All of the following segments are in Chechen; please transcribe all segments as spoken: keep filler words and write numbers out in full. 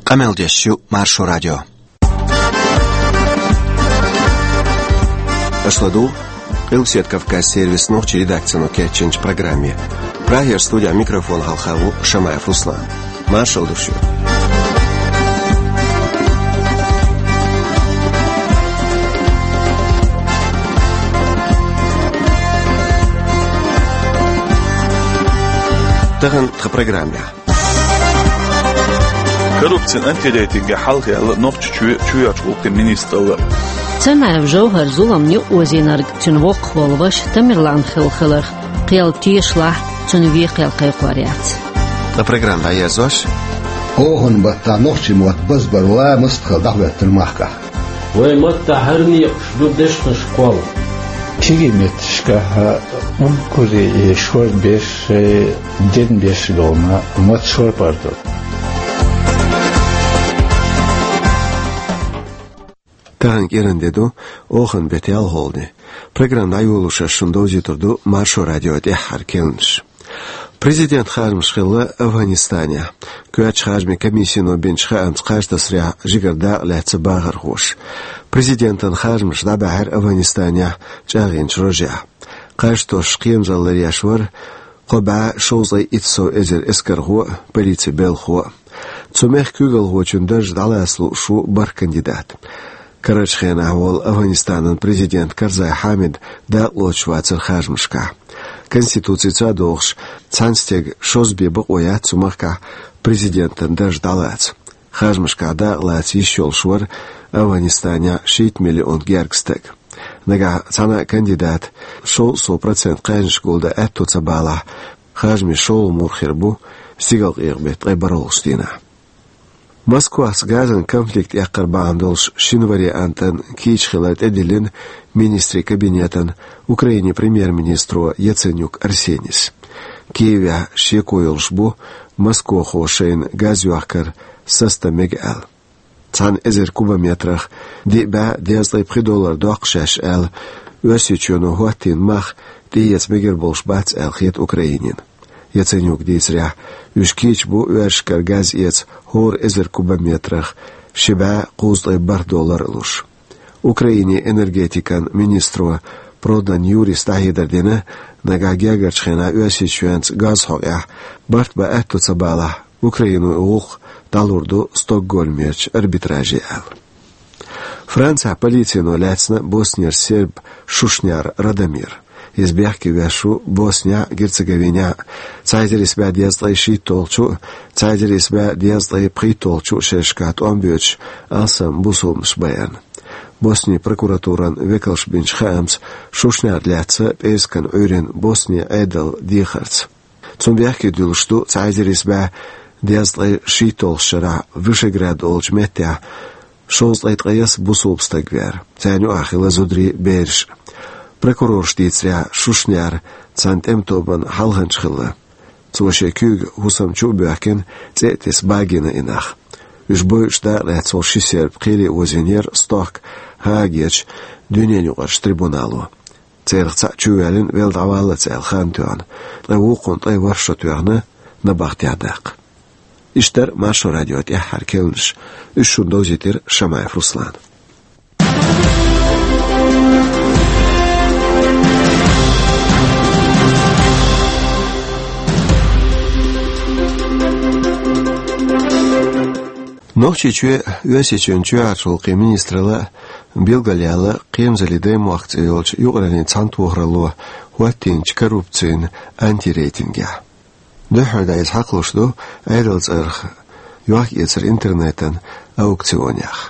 Къамел деш ю Маршо радио. Аша ладугӀу Къилбаседа Кавказан сервисан нохчийн редакцино кечйинчу программе. Прагера студехь микрофон хьалха ву Шамаев Руслан. Маршалла ду шуьга. Тахана тхан программехь. Коррупцин антирейтинге хьалхаелла Нохчийчоь чоьхьарчу гӀуллакхийн министралла. Цанаев ЖовхӀара зулам юкъаозийнарг цуьнан воккхах волу ваша Тамерлан хилла хиларх, кхел тешалахь, цуьнан вен кхел кхайкхор яц. Ткъа программа дӀаерзош. Оханан баттахь нохчийн мотт базбар ла мастагӀа дӀахӀоьттина махкахь. Вайн маттахь хӀара некъаш ду дешнаш кхолла. Кегий метташкахь уггаре а шорбеш, дернбеш долу ма-, мотт шорпар ду. Тахана кӀиран де ду, оханан беттан ялхолгӀа де. Программа дӀайолош ас шуна довзуьйтур ду Маршо радион тӀаьххьара керланаш. Президентан харжамаш хилла Афганистанехь. Коьртачу харжамийн комиссино бинчу хаамца кхаж тасарехь жигара дакъа лаьцна бахархоша. Президентан харжамаш дӀабаьхьира Афганистанехь чӀагӀйинчу рожехь. Кхаж тосуш кхерамзалла ларъеш вара кхо бӀе шовзткъе итт сов эзар эскархо а, полицин белхахо а. Цу мехкан куьйгалхочун дарж дӀалаца лууш ву бархӀ кандидат. Карарчу хенахь волу Афганистанан президент Карзай Хьамид дакъалоцуш вацара харжамашкахь. Конституцица а догӀуш, цхьана стеган шозза бен бакъо яц цу махкахь президентан дарж дӀалаца. Харжамашкахь дакъалаца йиш йолуш вара Афганистанехь шийтта миллион гергга стаг. Нагахь цхьана а кандидата шовзткъа сов процент кхаьжнаш гулдан аьтто ца балахь, харжамийн шолгӀа мур хир бу стигалкъекъа беттан ткъе бархӀалгӀачу дийнахь. Москвас газан конфликт эккхар бахьана долуш шина вариантан кийча хилар тӀедиллина министрийн кабинетан Украинин премьер-министро Яценюк Арсенис. Киевехь шеко йолуш бу москвахо шайна газ йохкар сацо мега аьлла. Цхьана эзар кубометрах диъ бӀе дезткъе пхи доллар доккху шаьш аьлла, Оьрсийчоьно хӀоттийна мах тӀеэца мегар болуш бац аьлла хета Украинина. Яценюкан дийцарехь, уьш кийча бу оьрсашкара газ эца хӀора эзар кубометрах ши бӀе кхузткъе бархӀ доллар а луш. Украинин энергетикан министро Продан Юрис дӀахьедар дина, нагахь гергарчу хенахь Оьрсийчоьнца газ хьокъехь барт бан аьтто ца балахь, Украино и гӀуллакх дӀалур ду Стокгольмерчу арбитраже аьлла. Францехь полицино лаьцна Боснера серб Шушняр Радомир. Иза бехке веш ву Боснехь а, Герцеговинехь а, цхьа эзар исс бӀе дезткъе шийтталгӀачу а, цхьа эзар исс бӀе дезткъе пхийтталгӀачу а шерашкахь тӀом боьдуш алсам бусулбанаш байарна. Боснин прокуратуран векалша бинчу хаамца, Шушняр лаьцна пӀераскан Ӏуьйранна Боснин Ӏедал дехарца. Цунна бехке дуьллуш ду цхьа эзар исс бӀе дезткъе шийтталгӀачу шарахь Вышеград олучу меттехь шовзткъе ткъайесна бусулба стаг вер. Царна юкъахь хилла зударий, бераш. Прокурорша дийцарехь, Шушняр цхьана тӀеман тобанан хьалханча хилла. Цо шен куьйга хӀусам чу а боьхкина, цӀе а тесна, багийна и нах. Уьш бойуш дакъа лаьцна волу ши серб кхеле озийнера стохка Гаагерчу дуьненаюкъарчу трибунало. Церах цхьаъ чувоьллина, велла дӀаваллалц аьлла хан тоьхна, ткъа вукхунна ткъе ворхӀ шо тоьхна набахтехь даккха. Иштта дара Маршо радион тӀаьххьара керланаш. Уьш шуна довзийтира Шамаев Руслана. Нохчийчоь Оьрсийчоьнан чоьхьарчу гӀуллакхийн министралла билгалъяьлла Кхерамзаллин Даймохк цӀе йолчу юкъараллин цхьаьнатохаралло хӀоттийначу коррупцин антирейтингехь. Дуьххьара дӀа иза хьакхалуш ду Ӏедалан цӀарах йохк-эцар интернетан аукционехь.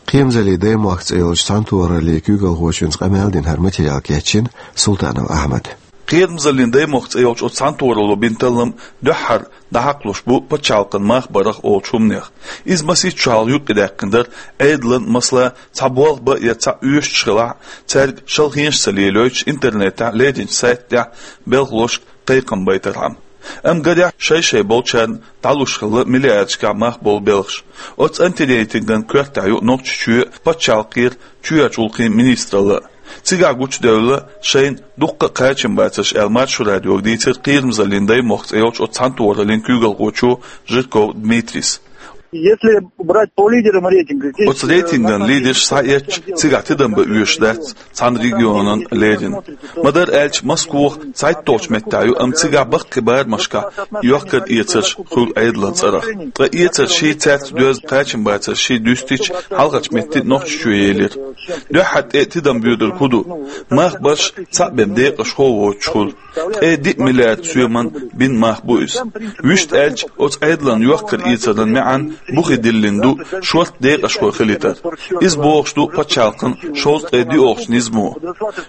Кхерамзаллин Даймохк цӀе йолчу цхьаьнатохараллин куьйгалхочуьнца къамел дина хӀара материал кечйина Султанов Ахьмада. Кхерамзаллин Даймохк цӀе йолчу оцу цхьаьнатохаралло бина таллам дуьххьара дӀахьакхалуш бу пачхьалкхан мах барах олучу хӀуманех. Иза масийтта шо хьалха юкъадаьккхина дара Ӏедалан, масала, цхьа болх бан я цхьаъ оьшуш хилахь, цаьрга шалхенаш ца лелойтуш, интернетехь леринчу сайтехь белхалошка кхайкхам байтархьама. Амма гарехь, шай-шай болчарна дӀалуш хилла миллиардашкахь мах болу белхаш. Оцу антирейтинган коьртехь ю Нохчийчоь а, пачхьалкхера чоьхьарчу гӀуллакхийн министралла а. Цигахь гучудевлла шайна дуккха а кхачам бацарш аьлла, Маршо радиога дийцира Кхерамзаллин Даймохк цӀе йолчу оцу цхьаьнатохараллин куьйгалхочо Жирков Дмитрийс. Если брать по лидерам рейтинга, здесь... Оцу рейтинган лидерш схьаэцча, цигахь тидам бан оьшуш дац цхьана регионан леррина. Ма-дарра аьлча, Москва цхьайтталгӀачу меттехь ю, амма цигахь баккхий барамашкахь йохкар-эцарш хуьлу Ӏедалан цӀарах. Ткъа эцарш ший цаьрца доьзна кхачам бацарш ший дуьстича, хьалхарчу метте Нохчийчоь елира. Дуьххьара тӀе тидам боьдург хӀун ду? Мах барш цхьаъ бен декъашхо а воцуш хуьлу. Ткъе диъ миллиард соьман бина мах бу иза. Вуьшта аьлча, оцу Ӏедалан йохкар-эцаран маьӀна бухе диллина ду шорта декъашхой хилийтар. Иза богӀуш ду пачхьалкхан шовзткъе диъолгӀачу низамо.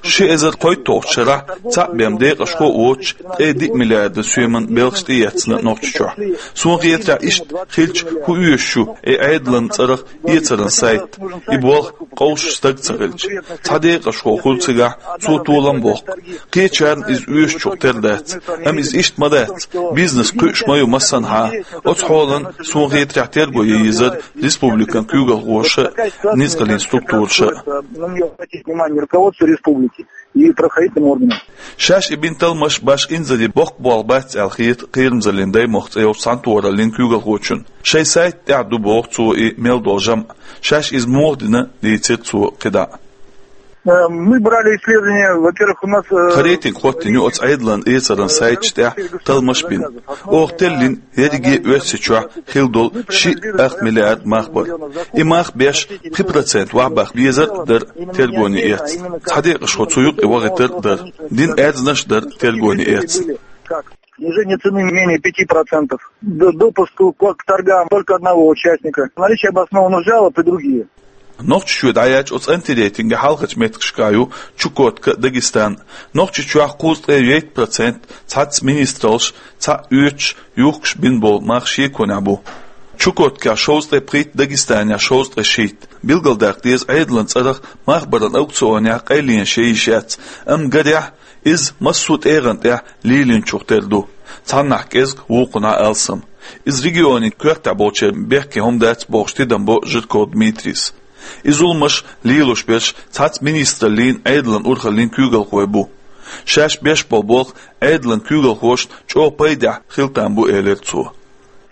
Ши эзар кхойтталгӀачу шарахь цхьаъ бен декъашхо а воцуш, ткъе диъ миллиард соьман белхаш тӀеэцна Нохчийчохь. Суна хетарехь, иштта хилча, хӀун оьшуш ю и Ӏедалан цӀарах эцаран сайт, и болх къовсуш стаг ца хилча? Цхьа декъашхо хуьлу цигахь, цо толам боккху. Кхечарна иза оьшучух тера дац, амма иза иштта ма дац, бизнес кхуьуш ма ю массанхьа. Оцу хьолан, суна хетарехь, терго ян езара республикан куьйгалхоша а, ницкъаллин структураша а. На неё обратить внимание руководство республики и правоохранительным органам. Шаьш и бина талламаш башха инзаре боккха болх бац аьлла хета Кхерамзаллин Даймохк цӀе йолчу цхьаьнатохараллин куьйгалхочунна. Шайн сайта тӀехь ду, боху цо, и мел долу жамӀ. Шаьш иза муха дина, дийцира цо кхидӀа а. Э, мы брали исследования, во-первых, у нас, э... Тхан рейтинг хӀоттийна ю оцу Ӏедалан эцаран сайташ тӀехь талламаш бина. Оха теллина ерриге а Оьрсийчохь хилла долу шиъ ах миллиард мах бар. И мах беш пхи процент вахьбаха безар а дара тергоне эцна. Цхьа декъашхо цу юкъе вахийтар а дара. Дина аьрзнаш а дара тергоне эцна. Как? Снижение цены менее пяти процентов. Д-, допуск к, к торгам только одного участника. Наличие обоснованных жалоб и другие. Нохчийчоь дӀаяьлча, оцу антирейтинган хьалхарчу меттигашкахь ю Чукотка а, Дагестан а. Нохчийчохь кхузткъе итт процент цхьацца министраллаш, цхьаъ оьцуш, юхкуш бина болу мах шеконехь бу. Чукоткехь шовзткъе пхийтта, Дагестанехь шовзткъе шийтта. Билгалдаккха деза, Ӏедалан цӀарах мах баран аукционехь къайленаш ян йиш яц, амма гарехь, иза массо а тӀегӀан тӀехь лелийначух тера ду. Цхьаннахь кӀезиг, вукхунахь алсам. Иза регионийн коьртехь болчеран бехке хӀума дац, бохуш, тидам бо Жирков Дмитрийс. И зуламаш лелош берш цхьацца министраллин, Ӏедалан урхаллин куьйгалхой бу. Шаьш беш болу болх Ӏедалан куьйгалхошна чӀогӀа пайдехь хила там бу, элира цо.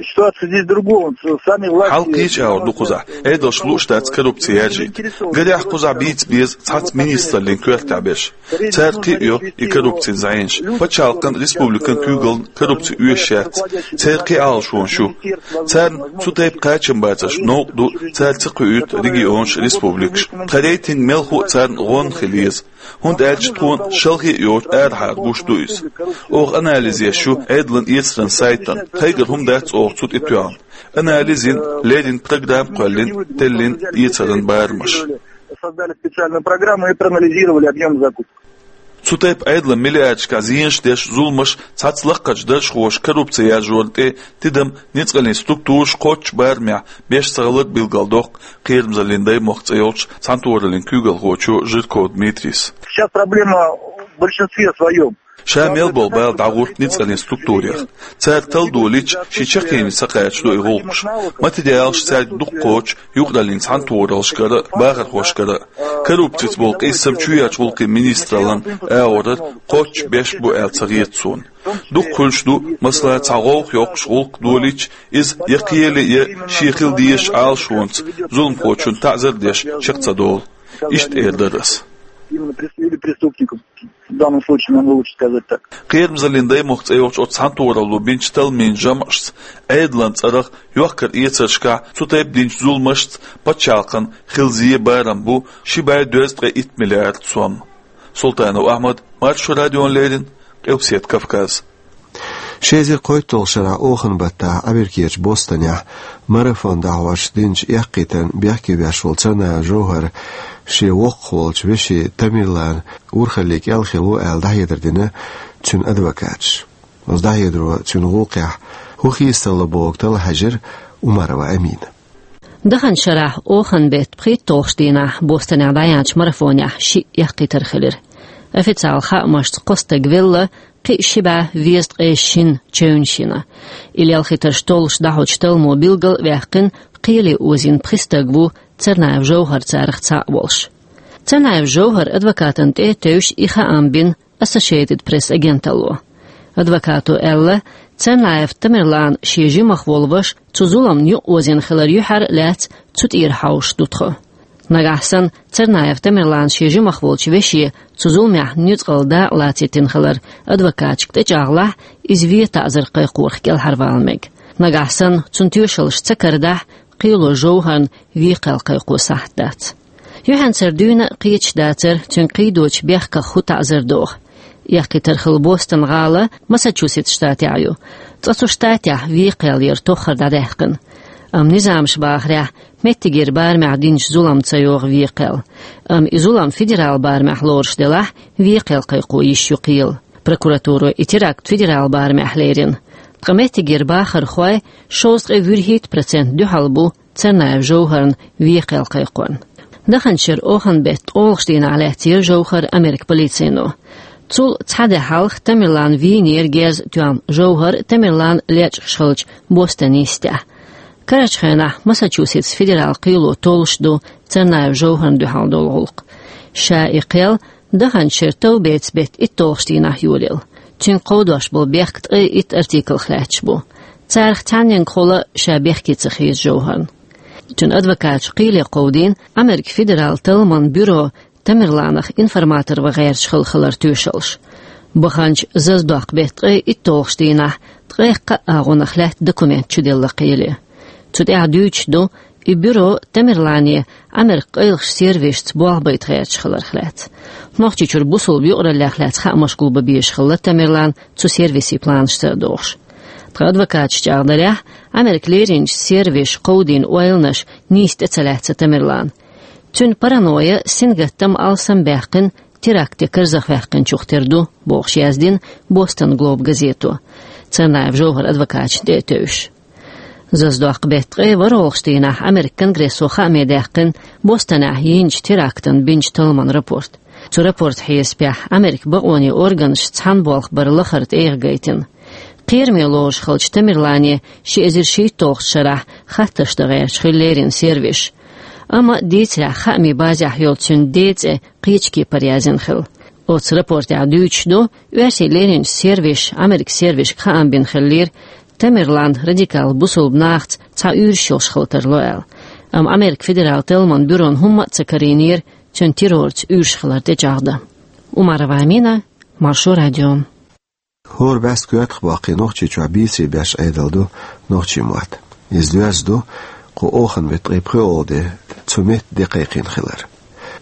Ситуация здесь в другом. Сами власти... Хьал кхечу агӀор ду кхузахь. Ӏедалш лууш дац коррупци яржийта. Гарехь, кхузахь бийца беза цхьацца министраллин коьртехь берш. Цара кхиа йо и коррупцин зӀенаш. Пачхьалкхан, республикан куьйгаллин коррупци оьшуш яц. Церан кхин Ӏалашонаш ю. Царна цу тайпа кхачам бацарш новкъа ду, цара ца кхуьуьйту регионаш, республикаш. Тхан рейтинг мелхо а царна гӀонна хила еза. ХӀунда аьлча тхуна шалхе а йоцуш арахьара гуш ду иза. Оха анализ еш ю Ӏедалан эцаран сайтана. Тхайгара хӀума дац оха цу тӀе тоьхна. Анализ йина, леррина программа кхоьллина, теллина эцаран барамаш. Создали специальную программу и проанализировали объём закупок. Цу тайпа Ӏедалан миллиардашкахь зенаш деш зуламаш, цхьацца лакхарчу даржхоша коррупци яржорна тӀе тидам ницкъаллин структураш кхоччуш барамехь беш ца хилар билгалдоккху Кхерамзаллин Даймохк цӀе йолчу цхьаьнатохараллин куьйгалхочо Жирков Дмитрийс. Сейчас проблема в большинстве своём. Ша мел болу бала дӀагӀурт ницкъаллин структурех. Цара талла долийча, шен чаккхене ца кхачадо и гӀуллакхаш. Материалаш цаьрга дукха кхочу юкъараллин цхьаьнатохараллашкара а, бахархошкара а. Коррупцица болу къийсам чоьхьарчу гӀуллакхийн министраллин агӀорара кхоччуш беш бу аьлла ца хета суна. Дукха хуьлуш ду, масала, цхьа гӀовгӀа йоккхуш гӀуллакх долийча, иза я кхеле, я шен хила дезачу Ӏалашонца зуламхочунна таӀзар а деш чекх ца долу. Иштта эр дара ас. Именно прес-, или преступником. В данном случае, нам лучше сказать так. Кхерамзаллин Даймохк цӀе йолчу оцу цхьаьнатохаралло бинчу талламийн жамӀашца Ӏедалан цӀарах йохкар-эцаршкахь цу тайпа динчу зуламашца пачхьалкхан хила зен, барам бу ши бӀе дезткъе итт миллиард сом. Султанов Ахьмад, Маршо радиона леррина, Къилбаседа Кавказ. Ши эзар кхойтталгӀачу шарахь оханан баттахь Америкерчу Бостонехь марафон дӀахьош динчу эккхийтарна бехке веш волу Царнаев Жовхар шен воккхах волчу вешин Тамерлан урхалле кӀел хилла ву аьлла дӀахьедар дина цуьнан адвокаташа. Оцу дӀахьедаро цуьнан гӀуллакхехь хӀун хийцалла богу талла хьаьжира Умарова Амина. Даханчу шарахь оханан беттан пхийтталгӀачу дийнахь Бостонехь дӀаяьхьначу марафонехь шиъ эккхийтар хилира. Официалан хаамашца, кхо стаг велла, кхин ши бӀе везткъе шина чевнаш йина. И лелхийтарш толлуш дӀахьочу талламо билгал а ваьккхина, кхеле озийна пхи стаг ву Царнаев Жовхар царах цхьаъ волуш. Царнаев Жовхаран адвокатана тӀе а тевжаш и хаам бина Associated Press агенталло. Адвокато аьлла, Царнаев Тамерлан шен жимах волу ваша цу зуламна юкъаозийна хилар юьхьар а лаьцна цу тӀера хьовсуш ду тхо. Нагахь санна Царнаев Тамерлан шен жимах волчу веше цу зуламехь нуьцкъала дакъа лацийтина хилар адвокаташка тӀечӀагӀлахь, иза вен таӀзар кхайкхорах кӀелхьарвала мега. Нагахь санна цунна тоьшаллаш ца карадахь, кхело Жовхарна вен кхел кхайкхо сахьт дац. Юьхьанцара дуьйна а кхеташ дацара, цуьнга кхийдочу бехках хӀун таӀзар доху. Эккхийтар хилла Бостон-гӀала Массачусетс штатехь ю. Цкъа цу штатехь вен кхел яра тоххара дӀадаьккхина. Амма низамаша бахарехь, меттигера барамехь динчу зуламна ца йогӀу вен кхел. Амма и зулам федерал барамехь лоруш делахь, вен кхел кхайкхо йиш ю кхелан. Прокуратуро и теракт федерал барамехь лерина. Ткъа меттигера бахархойн шовзткъе вуьрхӀитта процент дуьхьал бу Царнаев Жовхарна вен кхел кхайкхорна. Даханчу шеран оханан беттан ткъолгӀачу дийнахь лаьцнера Жовхар Американ полицино. Цул цхьа де хьалха Тамерлан вийнера герз а тоьхна Жовхар Тамерлан лечкъаш хиллачу Бостон-йистехь. Карарчу хенахь Массачусетс федерал кхело толлуш ду Царнаев Жовхарна дуьхьал долу гӀуллакх. Ша и кхел даханчу шеран товбецан беттан итталгӀачу дийнахь йолаелла. Цуьнга кховдош болу бехк ткъе итт артиклах лаьтташ бу. Царах цхьанненгахула ша бехке ца хеза Жовхарна. Цуьнан адвокаташа кхеле кховдийна Американ федерал талламан бюро Тамерланах информатор ван гӀерташ хилла хилар тоьшаллаш. Баханчу зазадоккху беттан ткъе итталгӀачу дийнахь ткъе кхаа агӀонах лаьтта документ чуделла кхеле. Цу тӀехь дуьйцуш ду, и бюро Тамерлане Американ къайлахчу сервисашца болх байта гӀерташ хиларх лаьцна. Нохчийчуьра бусулба юкъараллех лаьцна хаамаш гулбан безаш хилла Тамерлан цу сервисийн планашца а догӀуш. Ткъа адвокаташа чӀагӀдарехь, Американ леринчу сервисаша кховдийна ойланаш нийса тӀе ца лаьцна Тамерлана. Цуьнан паранойя, сингаттам алсам баьккхина, теракте карзахваьккхинчух тера ду, бохуш яздина Бостон Глоб газето. Царнаев Жовхар адвокаташна тӀе а тевжаш. Зазадоккху беттан ткъе ворхӀалгӀачу дийнахь Американ Конгрессо хааме даьккхина Бостонехь йинчу терактан бинчу талламан рапорт. Цу рапортан хьесапехь, Американ бакъонийн органаша цхьана болх бар лахара тӀегӀа гайтина. Кхераме лоруш хиллачу Тамерлане ши эзар шийтталгӀачу шарахь хаттарш дан гӀерташ хилла леррина сервисаша. Амма дийцарехь, хаамийн базехь йолу цуьнан ден цӀе кхечу кепара яздина хилла. Оцу рапортехь дуьйцуш ду, оьрсийн леринчу сервисаша Американ сервисашка хаам бина хиллера, Тамерлан радикал бусулба нахаца цхьа уьйраш йолуш хила тарло аьлла. Амма Американ федерал талламан бюрона хӀумма а ца карийнера цуьнан террорца уьйраш хилар тӀечӀагӀдан. Умарова Амина, Маршо радио. ХӀора бӀаьста коьртах боккхий Нохчийчохь бийцаре беш Ӏедал ду нохчийн мотт. Иза доьзна ду кху оханан беттан ткъе пхоьалгӀа де цу метта де кхайкхийна хилар.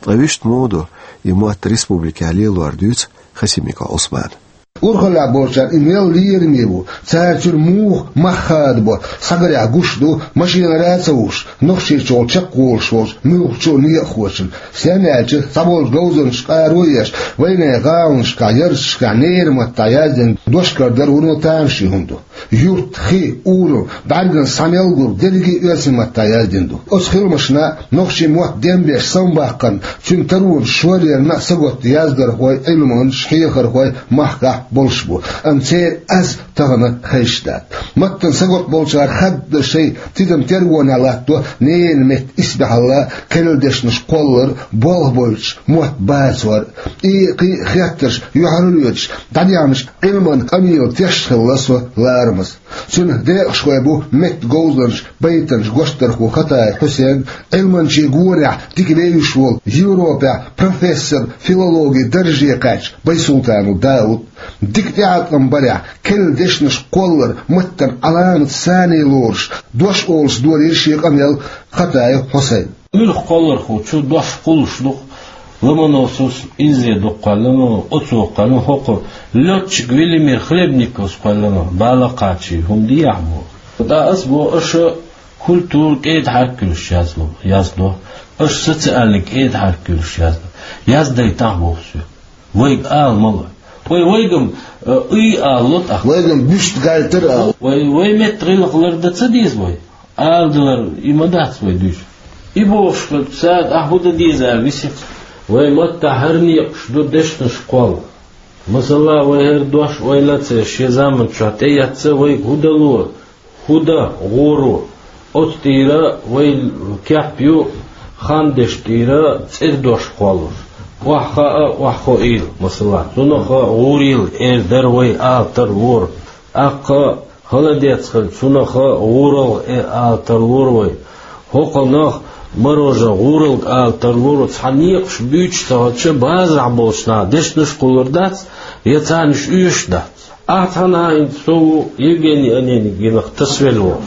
Ткъа вуьшта муха ду и мотт республикехь лелор, дуьйцу Хасимиков Ӏусмана. Урхаллехь болчарна и мел лераме ву, цара цуьнан муха мах хадабо, схьагарехь гуш ду, машинара а ца вуш, Нохчийчухула чекхволуш волчу муьлххачу а некъахочунна. Стенна аьлча, цхьаболчу говзанчаша къаро еш, вайнехан гӀаланашкахь, ярташкахь ненан маттахь яздина дош карадара вуно тамашийна хӀума ду. Юрт, хи, ураман, бӀаьргана схьа мел гур дерриге а оьрсийн маттахь яздина ду. Оцу хиламашна нохчийн мотт дембеш самабаккхарна, цуьнан таронаш шорларна а сагатта яздархой, Ӏилманчаш, хьехархой махкахь болуш бу. Амма церан аз тахана хезаш дац. Маттана сагатта болчара хадда шайн тидам тергонехь латтадо ненан меттан исбаьхьалла, керла дешнаш кхоллар, болх бойтуш мотт бацор. И кхин а хеттарш юьхьарлоьцуш, дӀадехнарш Ӏилманан къамелан тешаш хилла со ларамаза. Цуьнан декъашхой бу меттан говзанча, байтанча гочдархо Хатаев Хьусен, Ӏилманчийн горехь дика вевзаш волу, Европехь профессор, филологин дарже кхаьчна Байсултанов Дауд. Дика тӀеӀаткъам барехь, керла дешнаш кхоллар, маттана Ӏаламат санна лоруш, дош олуш долийра шен къамел Хатаев Хьусайна. Муьлхха кхоллархочо дош кхуллуш ду-кх, Ломоносовс инзе дукха кхоьллина, оцо кхоьллина, хӀокху лётчик Велимир Хлебниковс кхоьллина, бала кхачий, хӀума дехьа боху. ТӀаккха ас боху, аша культура кӀеда хьаьрк йолуш яздо, яздо. Аша социальный кӀеда хьаьрк йолуш яздо. Яздайтахь боху соьга. Вайга ала ма ло. Вай, вайгам, э, и ала ло тӀаккха. Вайгам буьста гайтар а. Вай, вай меттан гӀиллакх лардан ца деза вай. Ала далар и ма дац вай дуьйцу. И бохуш хилча, цара ахь хӀун дан деза аьлла висира. Вай маттахь хӀара некъаш ду дешнаш кхолла. Масала, вай хӀара дош ойла ца еш, шен заманчохь тӀеэцна вайга хӀун дало, хӀун дан гӀур ву. Оцу тӀера вай кеп ю, хан дешна тӀера цӀера дош кхоллалуш. Охьахаа, охьахоийла, масала. Цунах гӀурийла, эр дара вай ала тарлора. ТӀаккха холодец хилча, цунах гӀуралгӀа ала тарлур вай. ХӀокхунах мороженое, гӀуралга ала тарлур. Цхьа некъаш буьйцуш ца хилча, базарахь болчу наха дешнаш а кхуллур дац, я царна уьш оьшуш а дац. Ахьа цхьана а хӀинца со ву Евгений Онегинах тасавелла волу,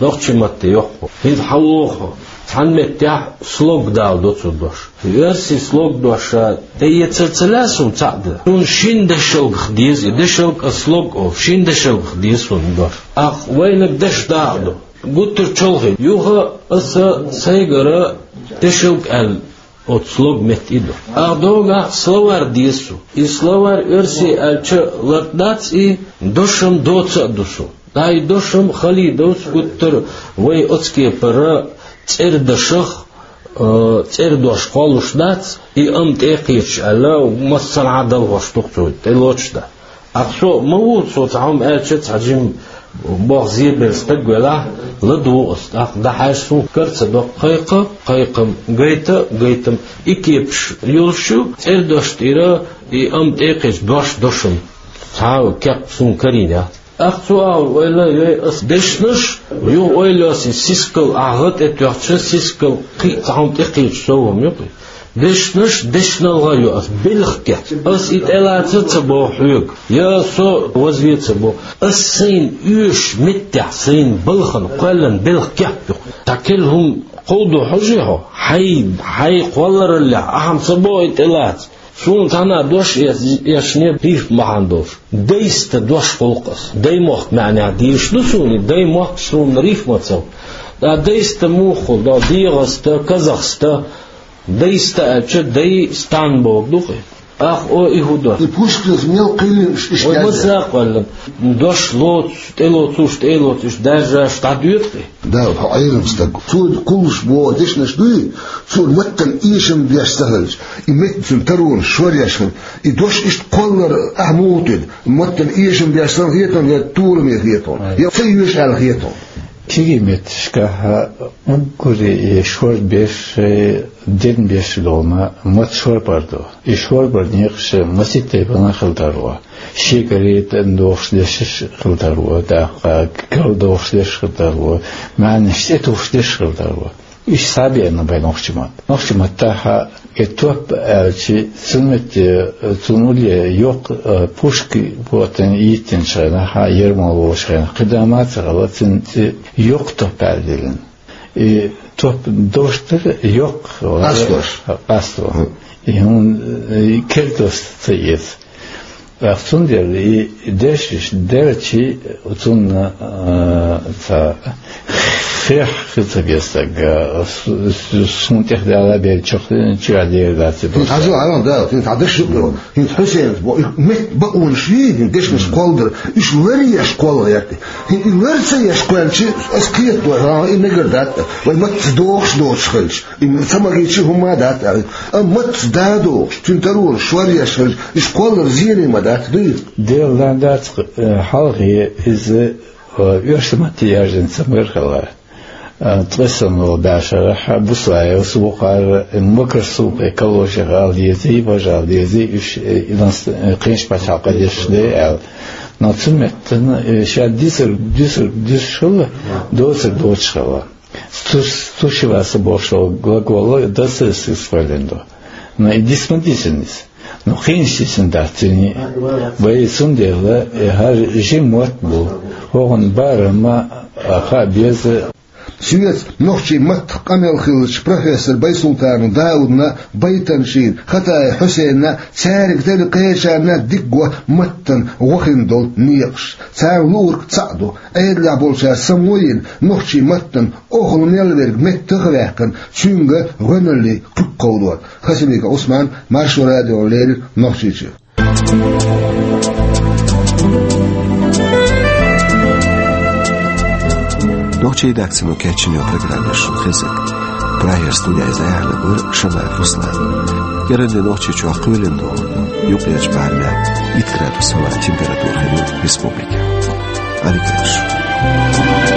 нохчийн матте йоккху. ХӀинца хьан воху, цхьана меттехь слог даладо цо дош. Оьрсийн слог дош тӀеэцар ца лаьа суна цхьаъ дан. Суна шина дешалгах деза и дешалг, а слог олу, шина дешалгах деза суна дош. Ахьа вайнаг деш дакъа ду. Гуттар чолхе. Юха аса сайгара дешалг аьлла, оцу слог метта и ду. Ахьа догахь словарь деза суна. И словарь оьрсийн аьлча лартӀадац, и дошам доца а ду суна. Дай дошам хали доцу гуттар вай оцу кепара цӀердашах, э, цӀердош кхоллуш дац, и амма тӀе а кхеташ аьлла, массанхьа а далхош ду-кх цо, тӀелоцуш дац. Ахьа со ма ву, со цхьа хӀума аьлча, цхьа жима боху зебелла стаг велахь, ладугӀу ас, тӀаккха дӀахьаьжча суна кара ца доккху, кхайкха, кхайкхам, гайта, гайтам, и кепаш йолуш ю, цӀердош тӀера и амма тӀе а кхеташ дош дошам. Цхьа а кеп суна карийна яц. ТӀаккха цо аьлла, ойла йой ас дешнаш, юха ойла йо ас и сискал ахьа гӀа тӀе тоьхча, сискал кхин а цхьа хӀума тӀе кхеташ сов хӀума ю-кх и. Дешнаш, дешналгӀа йо ас, белхан кеп. Ас и тӀелаца ца боху хьоьга, я со вазве ца боху. Ас сайна оьшучу меттехь, сайна балхана кхоьллина белхан кеп ю-кх. Цхьа керла хӀума кховдо хьожий хьо, хьайн, хьайн кхоллараллехь, ахьа ца боху и тӀелаца. Суна цхьана а дош эш-, эшне рифма бахьана долуш. Дайста дош гӀуллакх ас. Даймохк маьӀнехь дийш ду суна, и даймохк суна рифма ца. Ткъа дайста муха хуьлу, да, дегӀаста, казахста, дайста аьлча, дай стан боху ду-кх и. Ахьа о и хӀун дош? И Пушкинс мел кхийлина иш, иш вай ма сакъвелла. Дош лоцуш, тӀелоцуш, тӀелоцуш, даржаш дӀадоьду-кх и. Да, хьо Ӏелам стаг. Цо кхуллуш боху дешнаш дуй, цо маттана эшам беш ца хилча, и метта цуьнан таронаш шоръеш хилча, и дош иштта кхоллар ахьа муха тӀеда, маттана эшам беш санна хетам, я тураме хетам, я ца йоьшу аьлла хетам. Кегий метташкахь уггаре и шорбеш, дернбеш долу ма, матта шорбар ду. И шорбар некъаш масийтта тайпана хила тарло. Шегаре тӀедогӀуш дешнаш хила тарло, тӀаккха карладогӀуш дешнаш хила тарло, маьӀнаш тӀетухуш дешнаш хила тарло. Уьш схьабеана бен нохчийн матта. Нохчийн маттахь и топ аьлча, цуьнан метте, цуьнан улле йоккха, а, пушка ботана йиттинчу хенахь, ярмоло волчу хенахь, кхидӀа ма ца хилла, цуьнан цӀе йоккха топ аьлла диллина. И топ дош дара йоккха, къастош. Къасто. Мгм. И хӀун, и кертост ца эца. ТӀаккха цундела и дешнаш делчи, цунна, а, ца хех хи ца бестаг, а, су-, су-, суна тӀехь дала бер чохь, чуьра дер дац и дош. Хьажо, хьажо, да, хин хьадаш юкъо. Хин Хьусейнас бо, и мет бакъонаш вий, хин дешнаш кхолдар, уьш лар еш кхолла гӀерти. Хин и лар ца еш кхоьлчи, ас кхетадо, хьан и мегар дац, вай матца дохуш доцуш хилча. И ца магийчи хӀумма а дац аьлла. Амма матца да дохуш, цуьнан таронаш шор еш хилча, уьш кхоллар зене ма дац, дуй? Дела дан дац, э, хьалхе иза, э, оьрсийн матте яьржина ца мара хилла. Э, ткъе санна волу баьшарахь Буслаевс вукхара, э, Макарсупе калошех ала дезий, важа ала дезий, уьш, э, иданс, э, кхинаш пачхьалкха дешаш де аьлла. Но цу меттана, э, ша дисар, дисар, дисаш хилла, доцар доцуш хилла. Тус-, тушеваться бохуш долу глагол дацара сиз хваллина ду. Но и дисма дисина иза. Но кхинаш дисина дац цуьнан. Вай цундела, э, хӀара жима мотт бу. ХӀокхуьнан барам а хаа беза. Соьца нохчийн маттах къамел хиллачу профессор Байсултанов Даудна, Байтаншина, Хатаев Хьусейнна, цаьрга делла кхечарна дика го маттана гӀо хин долу некъаш. Царна луург цхьаъ ду, Ӏедалехь болчара самойина нохчийн маттана охала мел верг меттах а ваьккхина, цуьнга гӀоьналлий кхуьг кховдор. Хасимиков Ӏусман, Маршо радиона леррина Нохчийчуьра. Нохчийн редакцино кечйина йолу программа шуна хезира. Прагера студехь иза дӀаяьхьнарг вара Шамаев Руслан. КӀиранде Нохчийчохь кхоьлина догӀу, юккъерчу барамехь итт градус хилла температура хир ю республикехь. Ӏадика йойла шун.